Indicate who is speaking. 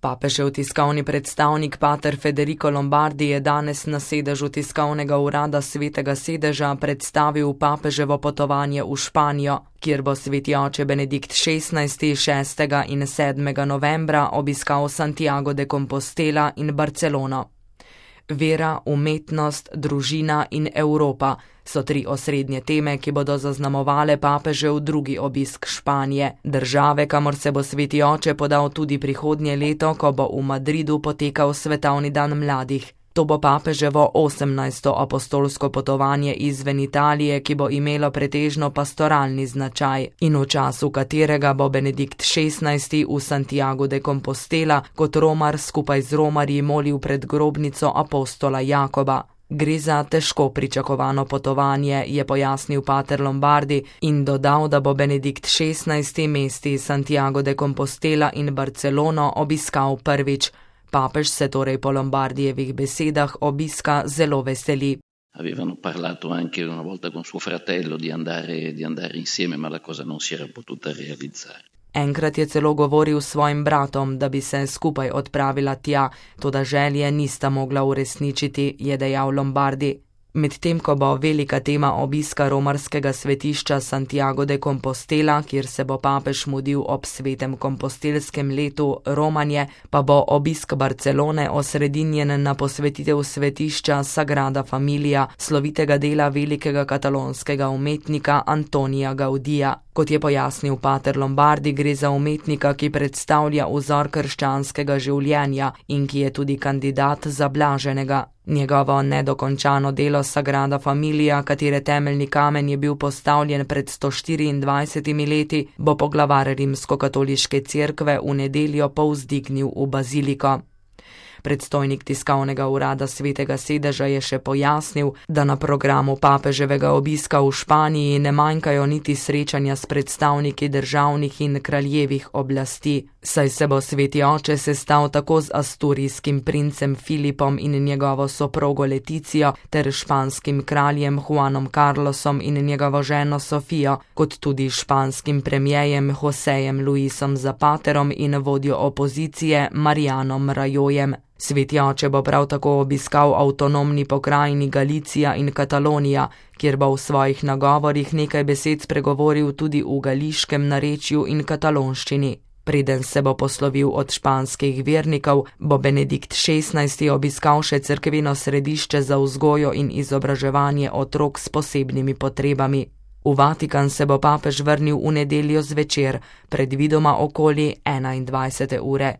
Speaker 1: Papežev tiskovni predstavnik pater Federico Lombardi je danes na sedežu tiskovnega urada Svetega sedeža predstavil papeževo potovanje v Španijo, kjer bo sveti oče Benedikt XVI. 6. in 7. novembra obiskal Santiago de Compostela in Barcelono. Vera, umetnost, družina in Evropa so 3 osrednje teme, ki bodo zaznamovale papežev drugi obisk Španije, države, kamor se bo sveti oče podal tudi prihodnje leto, ko bo v Madridu potekal Svetovni dan mladih. To bo papeževo 18. apostolsko potovanje izven Italije, ki bo imelo pretežno pastoralni značaj in v času katerega bo Benedikt XVI. V Santiago de Compostela kot romar skupaj z romarji molil pred grobnico apostola Jakoba. Gre za težko pričakovano potovanje, je pojasnil pater Lombardi in dodal, da bo Benedikt XVI. Mesti Santiago de Compostela in Barcelono obiskal prvič. Papež se torej po Lombardijevih besedah obiska zelo veseli.
Speaker 2: Avevano parlato anche una volta con suo fratello di andare insieme, ma la cosa non si era potuta realizzare.
Speaker 1: Enkrat je celo govoril s svojim bratom, da bi se skupaj odpravila tja, toda želje nista mogla uresničiti, je dejal Lombardi. Medtem ko bo velika tema obiska romarskega svetišča Santiago de Compostela, kjer se bo papež mudil ob svetem kompostelskem letu Romanje, pa bo obisk Barcelone osredinjen na posvetitev svetišča Sagrada Familia, slovitega dela velikega katalonskega umetnika Antonija Gaudija. Kot je pojasnil pater Lombardi, gre za umetnika, ki predstavlja vzor krščanskega življenja in ki je tudi kandidat za blaženega. Njegovo nedokončano delo Sagrada Familia, katere temeljni kamen je bil postavljen pred 124 leti, bo poglavar rimskokatoliške cerkve v nedeljo povzdignil v baziliko. Predstojnik tiskovnega urada Svetega sedeža je še pojasnil, da na programu papeževega obiska v Španiji ne manjkajo niti srečanja s predstavniki državnih in kraljevih oblasti, saj se bo sveti oče sestal tako z asturijskim princem Filipom in njegovo soprogo Leticijo ter španskim kraljem Juanom Carlosom in njegovo ženo Sofijo, kot tudi španskim premierjem Josejem Luisom Zapaterom in vodjo opozicije Marianom Rajojem. Sveti oče bo prav tako obiskal avtonomni pokrajini Galicija in Katalonija, kjer bo v svojih nagovorih nekaj besed spregovoril tudi v gališkem narečju in katalonščini. Preden se bo poslovil od španskih vernikov, bo Benedikt XVI. Obiskal še cerkveno središče za vzgojo in izobraževanje otrok s posebnimi potrebami. V Vatikan se bo papež vrnil v nedeljo zvečer, predvidoma okoli 21. ure.